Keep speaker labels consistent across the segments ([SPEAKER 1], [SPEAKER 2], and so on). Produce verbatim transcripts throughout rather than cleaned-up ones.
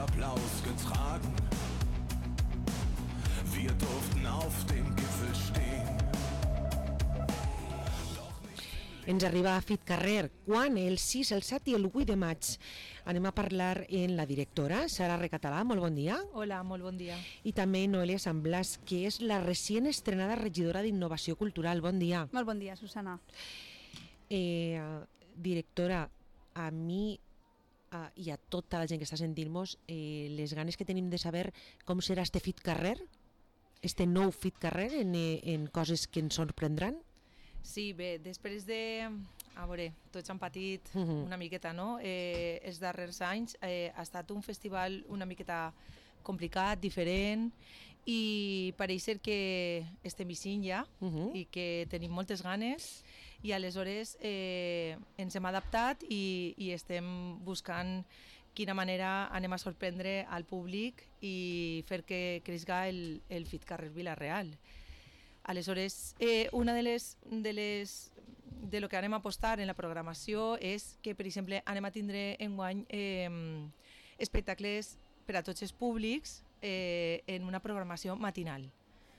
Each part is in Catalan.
[SPEAKER 1] Applaus getragen. Wir durften auf dem Gipfel stehen.
[SPEAKER 2] Ens arriba a Fit Carrer, quan? El sis, el set i el vuit de maig. Anem a parlar amb la directora, Sara Recatalà, molt bon dia.
[SPEAKER 3] Hola, molt bon dia.
[SPEAKER 2] I també Noelia Sant Blas, que és la recient estrenada regidora d'Innovació Cultural. Bon dia.
[SPEAKER 4] Molt bon dia, Susana.
[SPEAKER 2] Eh, directora, a mi uh, i a tota la gent que està sentint-nos, eh, les ganes que tenim de saber com serà este Fit Carrer, este nou Fit Carrer en, en coses que ens sorprendran.
[SPEAKER 3] Sí, bé, després de... A veure, tots han patit
[SPEAKER 2] uh-huh.
[SPEAKER 3] una miqueta, no? Eh, els darrers anys eh, ha estat un festival una miqueta complicat, diferent, i pareix ser que estem eixint ja
[SPEAKER 2] uh-huh.
[SPEAKER 3] i que tenim moltes ganes, i aleshores eh, ens hem adaptat i, i estem buscant quina manera anem a sorprendre al públic i fer que creixga el, el Fit Carrer Vila-real. Aleshores, eh, una de les, de les de lo que anem a apostar en la programació és que, per exemple, anem a tindre enguany eh, espectacles per a tots els públics eh, en una programació matinal.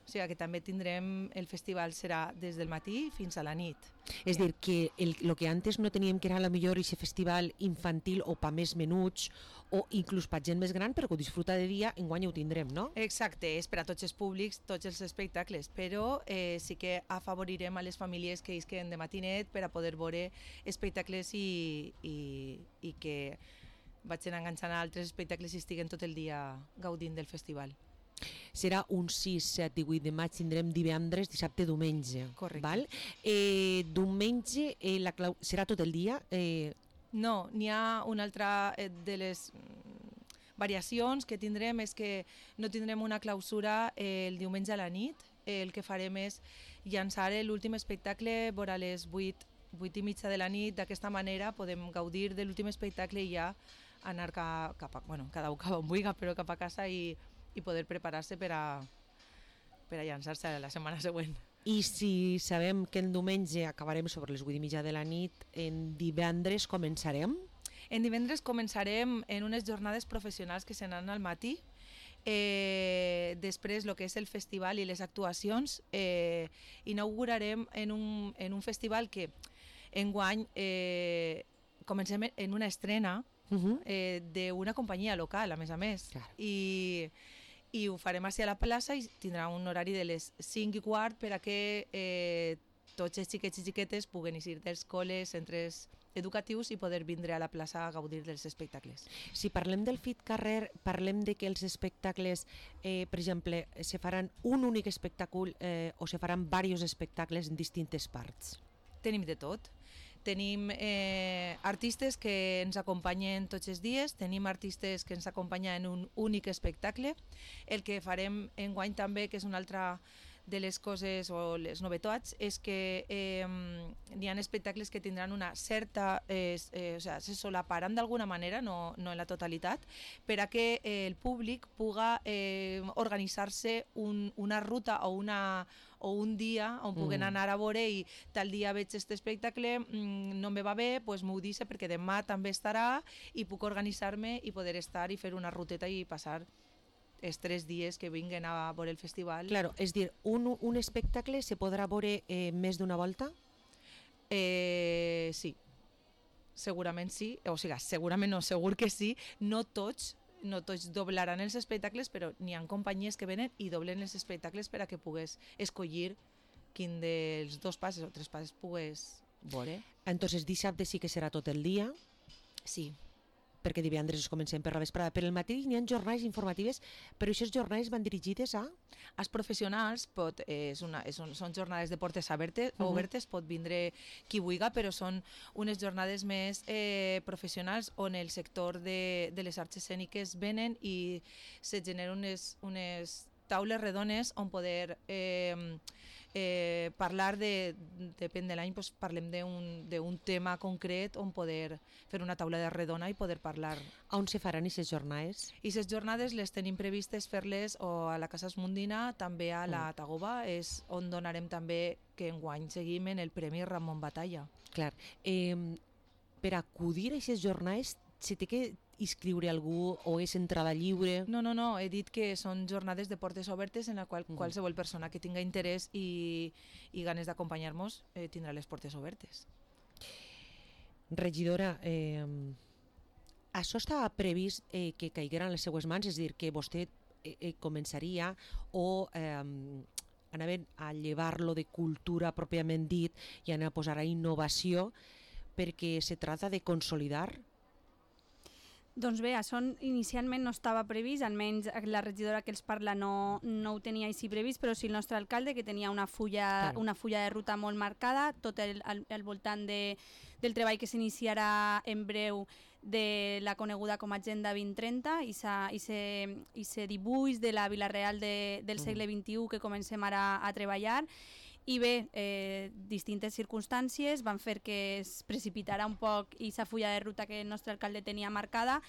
[SPEAKER 3] O sigui que també tindrem, el festival serà des del matí fins a la nit.
[SPEAKER 2] És dir, que el, lo que antes no teníem, que era a la millor aquest festival infantil o pa més menuts o inclús pa gent més gran, però que ho disfruta de dia, enguany ho tindrem, no?
[SPEAKER 3] Exacte, és per a tots els públics, tots els espectacles, però eh, sí que afavorirem a les famílies que isquen de matinet per a poder veure espectacles i, i, i que vagin enganxant a altres espectacles i estiguen tot el dia gaudint del festival.
[SPEAKER 2] Serà un sis, set i vuit de maig, tindrem divendres, dissabte, diumenge.
[SPEAKER 3] Correcte.
[SPEAKER 2] Val? Eh, diumenge eh, la clau... serà tot el dia? Eh...
[SPEAKER 3] No, n'hi ha una altra de les variacions que tindrem, és que no tindrem una clausura el diumenge a la nit. El que farem és llançar l'últim espectacle vora les vuit, vuit i mitja de la nit. D'aquesta manera podem gaudir de l'últim espectacle i ja anar cap, cap a, bueno, cada un cap on vulgui, però cap a casa i i poder preparar-se per a, per a llançar-se la setmana següent.
[SPEAKER 2] I si sabem que el diumenge acabarem sobre les vuit i mitja de la nit, en divendres començarem?
[SPEAKER 3] En divendres començarem en unes jornades professionals que seran al matí. Eh, després, el que és el festival i les actuacions, eh, inaugurarem en un, en un festival que enguany eh, comencem en una estrena
[SPEAKER 2] Uh-huh.
[SPEAKER 3] eh, d'una companyia local, a més a més.
[SPEAKER 2] Claro.
[SPEAKER 3] I, i ho farem així a la plaça i tindrà un horari de les cinc i quart per a que eh, tots els xiquets i xiquetes puguen eixir dels col·les, centres educatius i poder vindre a la plaça a gaudir dels espectacles.
[SPEAKER 2] Si parlem del Fit Carrer, parlem de que els espectacles, eh, per exemple, se faran un únic espectacle eh, o se faran diversos espectacles en distintes parts?
[SPEAKER 3] Tenim de tot. Tenim eh, artistes que ens acompanyen tots els dies, tenim artistes que ens acompanyen en un únic espectacle. El que farem enguany també, que és una altra de les coses o les novetats, és que eh, n'hi ha espectacles que tindran una certa, eh, eh, o sea, se solaparan d'alguna manera, no, no en la totalitat, per a que eh, el públic puga eh, organitzar-se un, una ruta o, una, o un dia on puguen anar a veure i tal dia veig aquest espectacle, mm, no me va bé, doncs m'ho dice perquè demà també estarà i puc organitzar-me i poder estar i fer una ruteta i passar els tres dies que vinguen a veure el festival.
[SPEAKER 2] Claro, és dir, un, un espectacle se podrà veure eh, més d'una volta?
[SPEAKER 3] Eh, sí, segurament sí, o sigui, segurament no, segur que sí, no tots, no tots doblaran els espectacles, però n'hi ha companyies que venen i doblen els espectacles per a que pugues escollir quin dels dos passes o tres passes pugues veure.
[SPEAKER 2] Entonces dissabte sí que serà tot el dia?
[SPEAKER 3] Sí.
[SPEAKER 2] Perquè divendres comencem per la vesprada. Per el matí n'hi ha jornades informatives, però aquestes jornades van dirigides a...
[SPEAKER 3] Els professionals pot, eh, és una, és un, són jornades de portes obertes, uh-huh. obertes, pot vindre qui vulgui, però són unes jornades més eh, professionals on el sector de, de les arts escèniques venen i se generen unes, unes taules redones on poder eh, eh, parlar de, depèn de l'any, doncs parlem d'un tema concret on poder fer una taula de redona i poder parlar.
[SPEAKER 2] On se faran aquestes jornades?
[SPEAKER 3] I aquestes jornades les tenim previstes fer-les o a la Casa Esmundina, també a la Tagoba, és on donarem també que enguany seguim en el Premi Ramon Batalla.
[SPEAKER 2] Clar, eh, per acudir a aquestes jornades se té que inscriure algú o és entrada lliure?
[SPEAKER 3] No, no, no, he dit que són jornades de portes obertes en la qual
[SPEAKER 2] Mhm.
[SPEAKER 3] qualsevol persona que tinga interès i, i ganes d'acompanyar-nos eh, tindrà les portes obertes.
[SPEAKER 2] Regidora, eh, això estava previst eh, que caiguera en les seues mans, és a dir, que vostè eh, eh, començaria o eh, anaven a llevar-lo de cultura pròpiament dit i anar a posar a innovació, perquè se trata de consolidar.
[SPEAKER 4] Doncs bé, això inicialment no estava previst, almenys la regidora que els parla no, no ho tenia així previst, però sí el nostre alcalde, que tenia una fulla,
[SPEAKER 2] Claro.
[SPEAKER 4] una fulla de ruta molt marcada, tot el, al, al voltant de, del treball que s'iniciarà en breu de la coneguda com a Agenda vint trenta i se dibuix de la Vila-real de, del segle vint-i-u que comencem ara a treballar. I bé, eh, distintes circumstàncies van fer que es precipitara un poc aquesta fulla de ruta que el nostre alcalde tenia marcada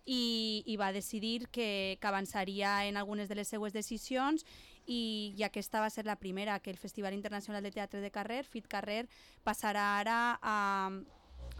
[SPEAKER 4] i, i va decidir que, que avançaria en algunes de les seues decisions i, i aquesta va ser la primera, que el Festival Internacional de Teatre de Carrer, FIT Carrer, passarà ara a,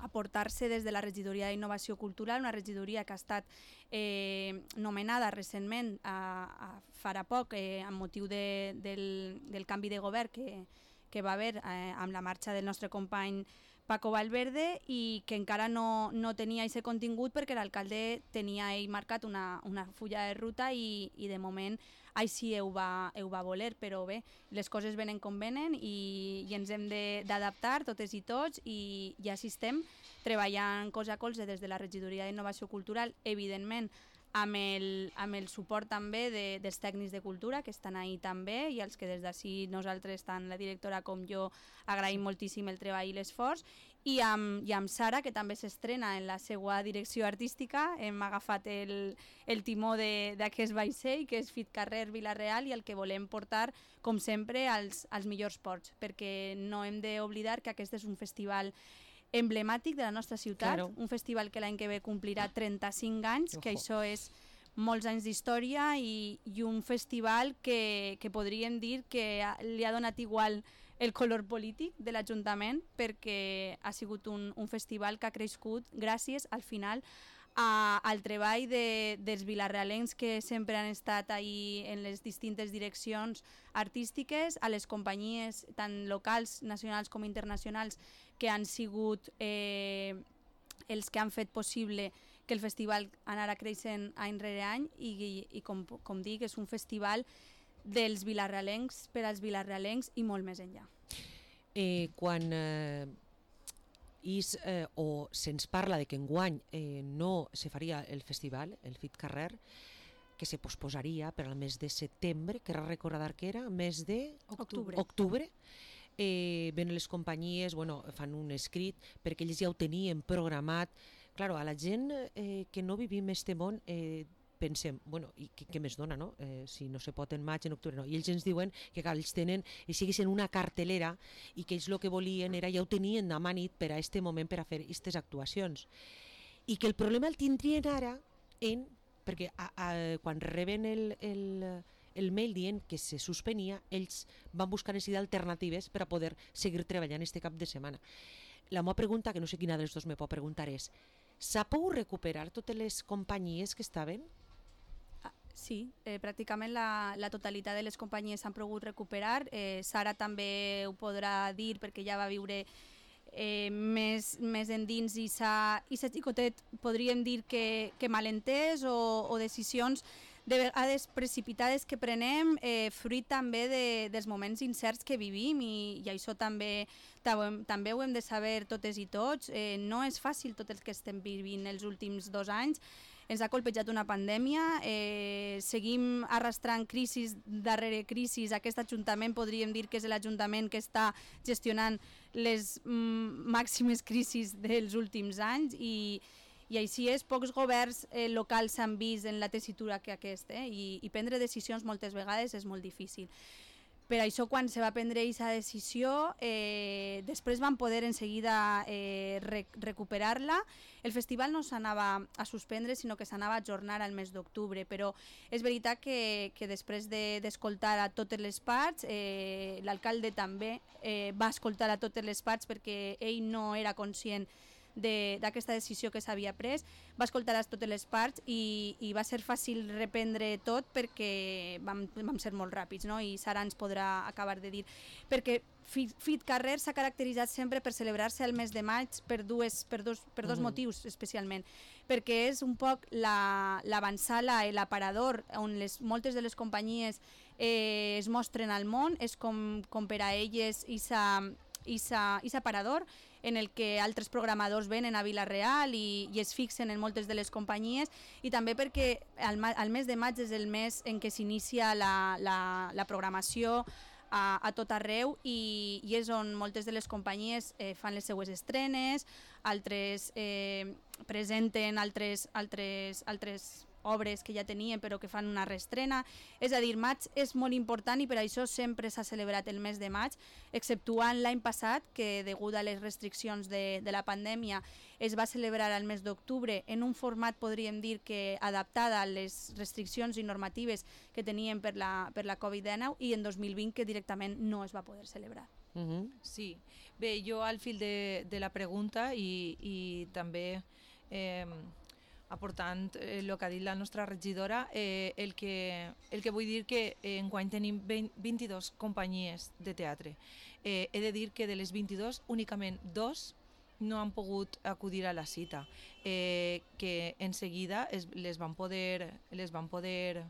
[SPEAKER 4] a portar-se des de la Regidoria d'Innovació Cultural, una regidoria que ha estat eh, nomenada recentment a, a farà poc eh, amb motiu de, del, del canvi de govern que, que va haver eh, amb la marxa del nostre company Paco Valverde i que encara no, no tenia aquest contingut perquè l'alcalde tenia ell marcat una, una fulla de ruta i, i de moment així ho va, ho va voler, però bé, les coses venen com venen i, i ens hem d'adaptar totes i tots i, i així estem treballant colze a colze des de la Regidoria d'Innovació Cultural, evidentment amb el, amb el suport també de, dels tècnics de cultura que estan ahí també i els que des d'ací nosaltres, tant la directora com jo, agraïm moltíssim el treball i l'esforç i amb, i amb Sara, que també s'estrena en la seva direcció artística, hem agafat el, el timó d'aquest vaixell que és FIT Carrer Vila-real i el que volem portar com sempre als, als millors ports, perquè no hem d'oblidar que aquest és un festival emblemàtic de la nostra ciutat,
[SPEAKER 2] Claro.
[SPEAKER 4] un festival que l'any que ve complirà trenta-cinc anys, que
[SPEAKER 2] Ojo.
[SPEAKER 4] això és molts anys d'història i, i un festival que, que podríem dir que ha- li ha donat igual el color polític de l'Ajuntament perquè ha sigut un, un festival que ha crescut gràcies al final a, al treball de, dels vilarealencs que sempre han estat ahí en les distintes direccions artístiques, a les companyies tant locals, nacionals com internacionals que han sigut eh, els que han fet possible que el festival anara creixent any rere any i, i, i com, com dic, és un festival dels vilarealencs per als vilarealencs i molt més enllà.
[SPEAKER 2] Eh, quan eh, is, eh, o se'ns parla de que enguany eh, no se faria el festival, el FIT Carrer, que se posposaria per al mes de setembre, que era recordar que era, mes de
[SPEAKER 4] Octubre.
[SPEAKER 2] octubre, eh, ven les companyies, bueno, fan un escrit perquè ells ja ho tenien programat. Claro, a la gent eh, que no vivim este món eh, pensem, bueno, i què, què més dona, no? Eh, si no se pot en maig, en octubre, no. I ells ens diuen que clar, ells tenen, ells siguin una cartelera i que ells el que volien era, ja ho tenien demà nit per a este moment per a fer aquestes actuacions. I que el problema el tindrien ara en, perquè a, a, quan reben el, el, el mail dient que se suspenia, ells van buscar necessitar alternatives per a poder seguir treballant este cap de setmana. La meva pregunta, que no sé quina dels dos me pot preguntar, és s'ha pogut recuperar totes les companyies que estaven?
[SPEAKER 4] Ah, Sí, eh, pràcticament la, la totalitat de les companyies s'han pogut recuperar. Eh, Sara també ho podrà dir perquè ja va viure eh, més, més endins i sa xicotet podríem dir que, que malentès o, o decisions de vegades precipitades que prenem eh, fruit també de, dels moments incerts que vivim i, i això també, també ho hem de saber totes i tots. Eh, no és fàcil tot el que estem vivint els últims dos anys. Ens ha colpejat una pandèmia, eh, seguim arrastrant crisis darrere crisis. Aquest Ajuntament podríem dir que és l'Ajuntament que està gestionant les mm, màximes crisis dels últims anys i, i així és, pocs governs eh, locals s'han vist en la tessitura que aquest, eh, i, i prendre decisions moltes vegades és molt difícil. Per això, quan se va prendre aquesta decisió, eh, després van poder en seguida eh, rec recuperar-la. El festival no s'anava a suspendre, sinó que s'anava a ajornar al mes d'octubre, però és veritat que, que després d'escoltar de, a totes les parts, eh, l'alcalde també eh, va escoltar a totes les parts perquè ell no era conscient d'aquesta de, decisió que s'havia pres, va escoltar totes les parts i, i va ser fàcil reprendre tot perquè vam, vam ser molt ràpids, no? I Sara ens podrà acabar de dir. Perquè FitCarrer s'ha caracteritzat sempre per celebrar-se al mes de maig per, dues, per, dos, per dos mm. motius especialment, perquè és un poc l'avançala la, i l'aparador on les, moltes de les companyies eh, es mostren al món, és com, com per a elles aquest aparador en el que altres programadors venen a Vila-real i, i es fixen en moltes de les companyies, i també perquè el, el mes de maig és el mes en què s'inicia la, la, la programació A, a tot arreu i, i és on moltes de les companyies eh, fan les seues estrenes, altres eh, presenten altres, altres, altres obres que ja tenien però que fan una reestrena. És a dir, maig és molt important i per això sempre s'ha celebrat el mes de maig, exceptuant l'any passat que degut a les restriccions de, de la pandèmia es va celebrar al mes d'octubre en un format, podríem dir, que adaptada a les restriccions i normatives que tenien per la, per la covid dinou, i en dos mil vint que directament no es va poder celebrar.
[SPEAKER 3] Uh-huh. Sí, bé, jo al fil de, de la pregunta i, i també eh, aportant eh, el que ha dit la nostra regidora, eh, el, que, el que vull dir que eh, enguany tenim vint-i-dues companyies de teatre. Eh, he de dir que de les vint-i-dues únicament dos no han pogut acudir a la cita, eh, que en seguida es, les van poder, les van poder,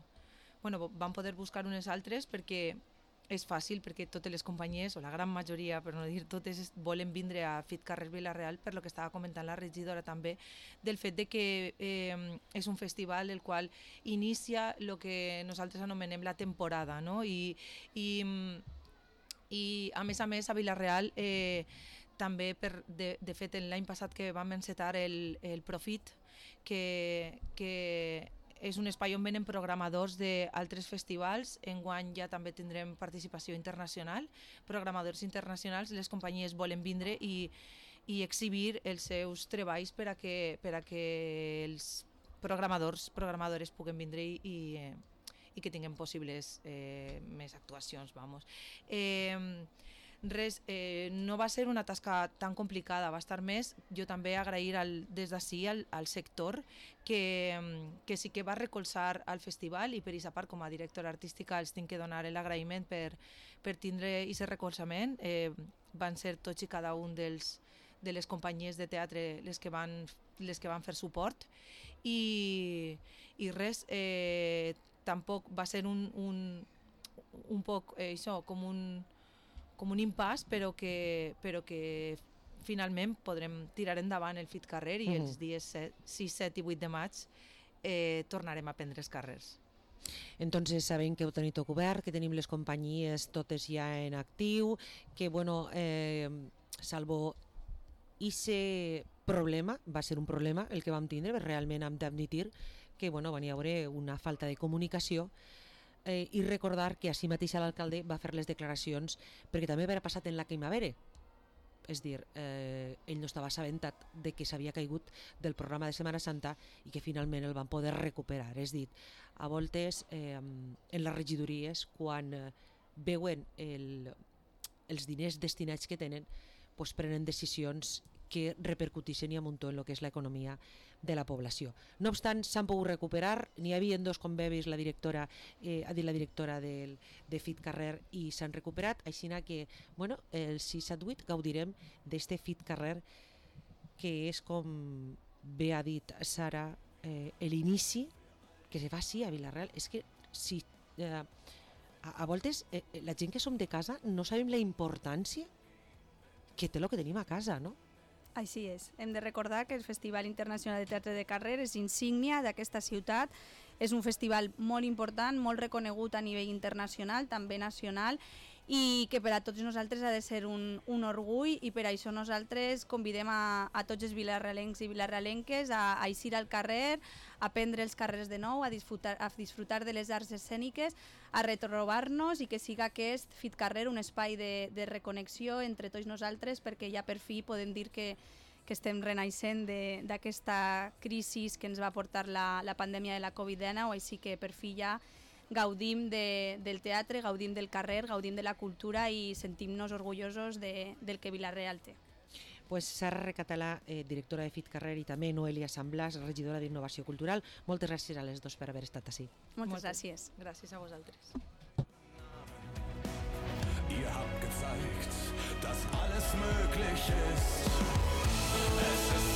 [SPEAKER 3] bueno, van poder buscar unes altres perquè és fàcil, perquè totes les companyies, o la gran majoria, per no dir totes, volen vindre a FitCarrer Vila-real, per lo que estava comentant la regidora també, del fet de que eh, és un festival el qual inicia el que nosaltres anomenem la temporada, no? I, i, i a més a més a Vila-real eh, també, per, de, de fet l'any passat que vam encetar el, el Profit, que, que és un espai on venen programadors d'altres festivals. Enguany ja també tindrem participació internacional, programadors internacionals, les companyies volen vindre i, i exhibir els seus treballs per a que, per a que els programadors, programadores puguen vindre i, i, i que tinguem possibles eh, més actuacions. Vamos. Eh, Res, eh, no va ser una tasca tan complicada, va estar més, jo també agrair al, des d'ací al, al sector que, que sí que va recolzar al festival, i per aquesta part com a directora artística els tinc que donar l'agraïment per, per tindre aquest recolzament. Eh, van ser tots i cada un dels, de les companyies de teatre les que van, les que van fer suport i, i res, eh, tampoc va ser un, un, un poc eh, això, com un com un impàs, però que, però que finalment podrem tirar endavant el FitCarrer i mm. els dies sis, set i vuit de maig eh, tornarem a prendre els carrers.
[SPEAKER 2] Entonces sabem que heu tenit tot obert, que tenim les companyies totes ja en actiu, que bueno, eh, salvo ese problema, va ser un problema el que vam tindre, realment hem d'admitir que bueno, va haver una falta de comunicació. Eh, i recordar que així mateix l'alcalde va fer les declaracions perquè també havia passat en la Quimavere, és dir, eh, ell no estava assabentat de que s'havia caigut del programa de Setmana Santa i que finalment el van poder recuperar. És dir, a voltes eh, en les regidories, quan eh, veuen el, els diners destinats que tenen, pues prenen decisions que repercuteixen i amuntó en el que és l'economia de la població. No obstant, s'han pogut recuperar, n'hi havia dos, com bé veus, la directora, eh, ha dit la directora del, de FitCarrer, i s'han recuperat, així que bueno, el sis set vuit gaudirem d'este FitCarrer, que és, com bé ha dit Sara, eh, l'inici que se fa sí a Vila-real. És que si, eh, a, a voltes eh, la gent que som de casa no sabem la importància que té el que tenim a casa, no?
[SPEAKER 4] Així és. Hem de recordar que el Festival Internacional de Teatre de Carrer és insígnia d'aquesta ciutat. És un festival molt important, molt reconegut a nivell internacional, també nacional, i que per a tots nosaltres ha de ser un, un orgull, i per això nosaltres convidem a, a tots els vilarrealencs i vilarrealenques a, a eixir al carrer, a prendre els carrers de nou, a disfrutar, a disfrutar de les arts escèniques, a retrobar-nos, i que siga aquest FitCarrer un espai de, de reconnexió entre tots nosaltres, perquè ja per fi podem dir que, que estem renaixent d'aquesta crisi que ens va portar la, la pandèmia de la covid dinou, així que per fi ja gaudim de, del teatre, gaudim del carrer, gaudim de la cultura i sentim-nos orgullosos de, del que Vila-real té.
[SPEAKER 2] Pues Sara Recatalà, eh, directora de FitCarrer, i també Noelia Sant Blas, regidora d'Innovació Cultural. Moltes gràcies a les dos per haver estat ací.
[SPEAKER 4] Moltes gràcies.
[SPEAKER 3] Gràcies a vosaltres.
[SPEAKER 1] Ihr habt gezeigt, dass alles möglich ist. Es ist